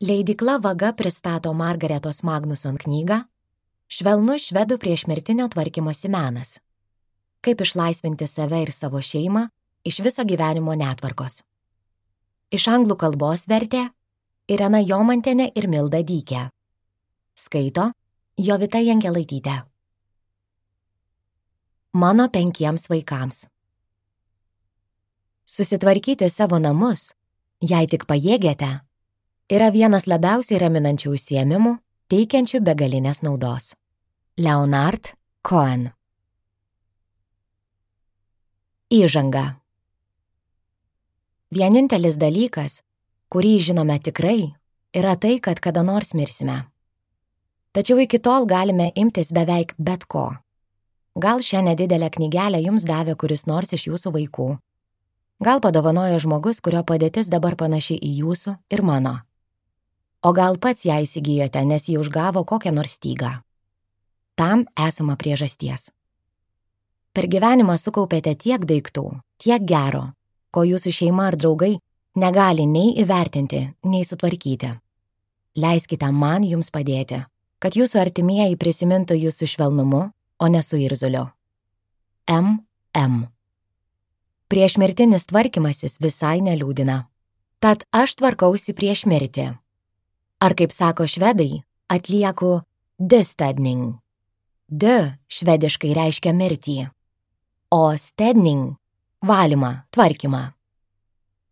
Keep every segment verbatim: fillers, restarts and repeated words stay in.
Leidykla Vaga pristato Margaretos Magnuson knygą Švelnus švedų priešmirtinio tvarkymosi menas. Kaip išlaisvinti save ir savo šeimą iš viso gyvenimo netvarkos. Iš anglų kalbos vertė Irena Jomantienė ir Milda Dykė. Skaito Jovita Jankelaitytė. Mano penkiems vaikams. Susitvarkyti savo namus, jei tik pajėgiate, yra vienas labiausiai raminančių užsiėmimų, teikiančių begalinės naudos. Leonard Cohen. Įžanga. Vienintelis dalykas, kurį žinome tikrai, yra tai, kad kada nors mirsime. Tačiau iki tol galime imtis beveik bet ko. Gal šią nedidelę knygelę jums davė kuris nors iš jūsų vaikų. Gal padovanojo žmogus, kurio padėtis dabar panaši į jūsų ir mano. O gal pats ją įsigijote, nes jį užgavo kokią nors stygą. Tam esama priežasties. Per gyvenimą sukaupėte tiek daiktų, tiek gero, ko jūsų šeima ar draugai negali nei įvertinti, nei sutvarkyti. Leiskite man jums padėti, kad jūsų artimieji prisimintų jūsų švelnumu, o ne su irzuliu. M M. Priešmirtinis tvarkymasis visai neliūdina. Tad aš tvarkausi prieš mirtį. Ar kaip sako švedai, atlieku dødstedning. Dø švediškai reiškia mirtį, o stedning – valymą, tvarkymą.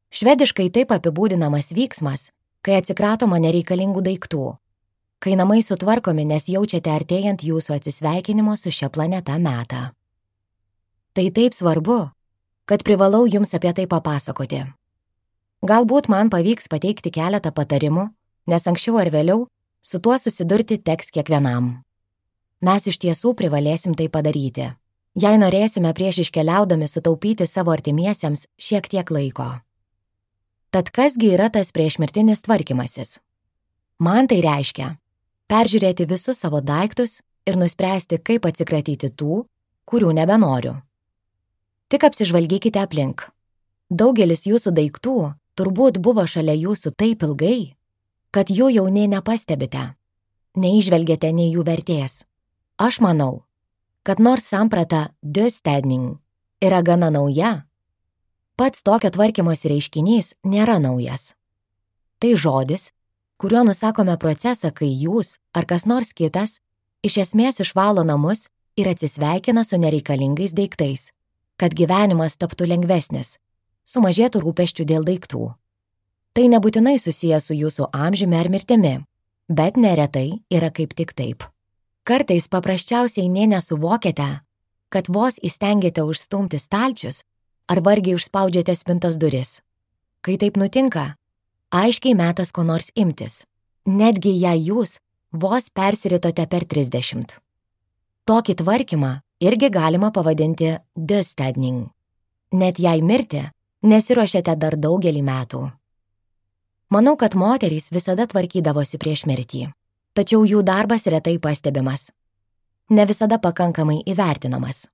Švediškai taip apibūdinamas vyksmas, kai atsikratoma nereikalingų daiktų, kai namai sutvarkomi, nes jaučiate artėjant jūsų atsisveikinimo su šia planeta metą. Tai taip svarbu, kad privalau jums apie tai papasakoti. Galbūt man pavyks pateikti keletą patarimų, nes anksčiau ar vėliau su tuo susidurti teks kiekvienam. Mes iš tiesų privalėsim tai padaryti, jei norėsime prieš iškeliaudami sutaupyti savo artimiesiems šiek tiek laiko. Tad kasgi yra tas priešmirtinis tvarkymasis? Man tai reiškia peržiūrėti visus savo daiktus ir nuspręsti, kaip atsikratyti tų, kurių nebenoriu. Tik apsižvalgykite aplink. Daugelis jūsų daiktų turbūt buvo šalia jūsų taip ilgai, kad jų jau nei nepastebite, neįžvelgėte nei jų vertės. Aš manau, kad nors samprata dødstedning yra gana nauja, pats tokio tvarkymosi reiškinys nėra naujas. Tai žodis, kuriuo nusakome procesą, kai jūs ar kas nors kitas iš esmės išvalo namus ir atsisveikina su nereikalingais daiktais, kad gyvenimas taptų lengvesnis, sumažėtų rūpesčių dėl daiktų. Tai nebūtinai susiję su jūsų amžiumi ar mirtimi, bet neretai yra kaip tik taip. Kartais paprasčiausiai nė nesuvokiate, kad vos įstengėte užstumti stalčius ar vargiai užspaudžiate spintos duris. Kai taip nutinka, aiškiai metas ko nors imtis, netgi jei jūs vos persiritote per trisdešimt. Tokį tvarkymą irgi galima pavadinti dødstedning, net jei mirti nesiruošiate dar daugelį metų. Manau, kad moterys visada tvarkydavosi prieš mirtį, tačiau jų darbas retai pastebimas, ne visada pakankamai įvertinamas.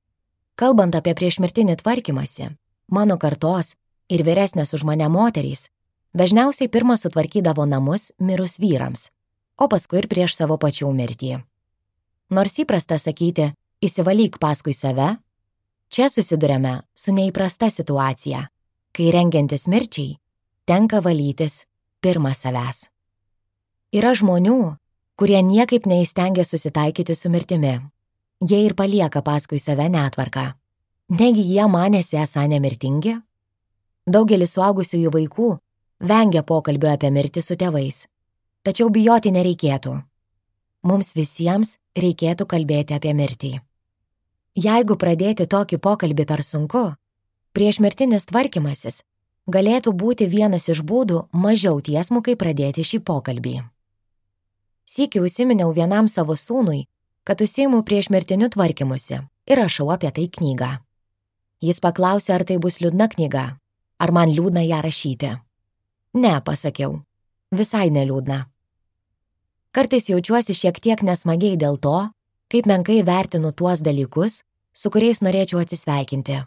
Kalbant apie priešmirtinį tvarkymąsi, mano kartos ir vyresnės už mane moterys dažniausiai pirmą sutvarkydavo namus mirus vyrams, o paskui ir prieš savo pačių mirtį. Nors įprasta sakyti, įsivalyk paskui save, čia susiduriame su neįprasta situacija, kai rengiantis mirčiai tenka valytis pirma savęs. Yra žmonių, kurie niekaip neįstengia susitaikyti su mirtimi. Jie ir palieka paskui save netvarką. Negi jie manėsi esą nemirtingi? Daugelis suaugusiųjų vaikų vengia pokalbio apie mirtį su tėvais. Tačiau bijoti nereikėtų. Mums visiems reikėtų kalbėti apie mirtį. Jeigu pradėti tokį pokalbį per sunku, priešmirtinis tvarkymasis galėtų būti vienas iš būdų mažiau tiesmukai pradėti šį pokalbį. Sykį užsiminiau vienam savo sūnui, kad užsiimu priešmirtiniu tvarkymusi ir rašau apie tai knygą. Jis paklausė, ar tai bus liūdna knyga, ar man liūdna ją rašyti. Ne, pasakiau, visai neliūdna. Kartais jaučiuosi šiek tiek nesmagiai dėl to, kaip menkai vertinu tuos dalykus, su kuriais norėčiau atsisveikinti.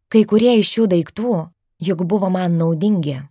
Kai kurie iš šių daiktų juk buvo man naudingi,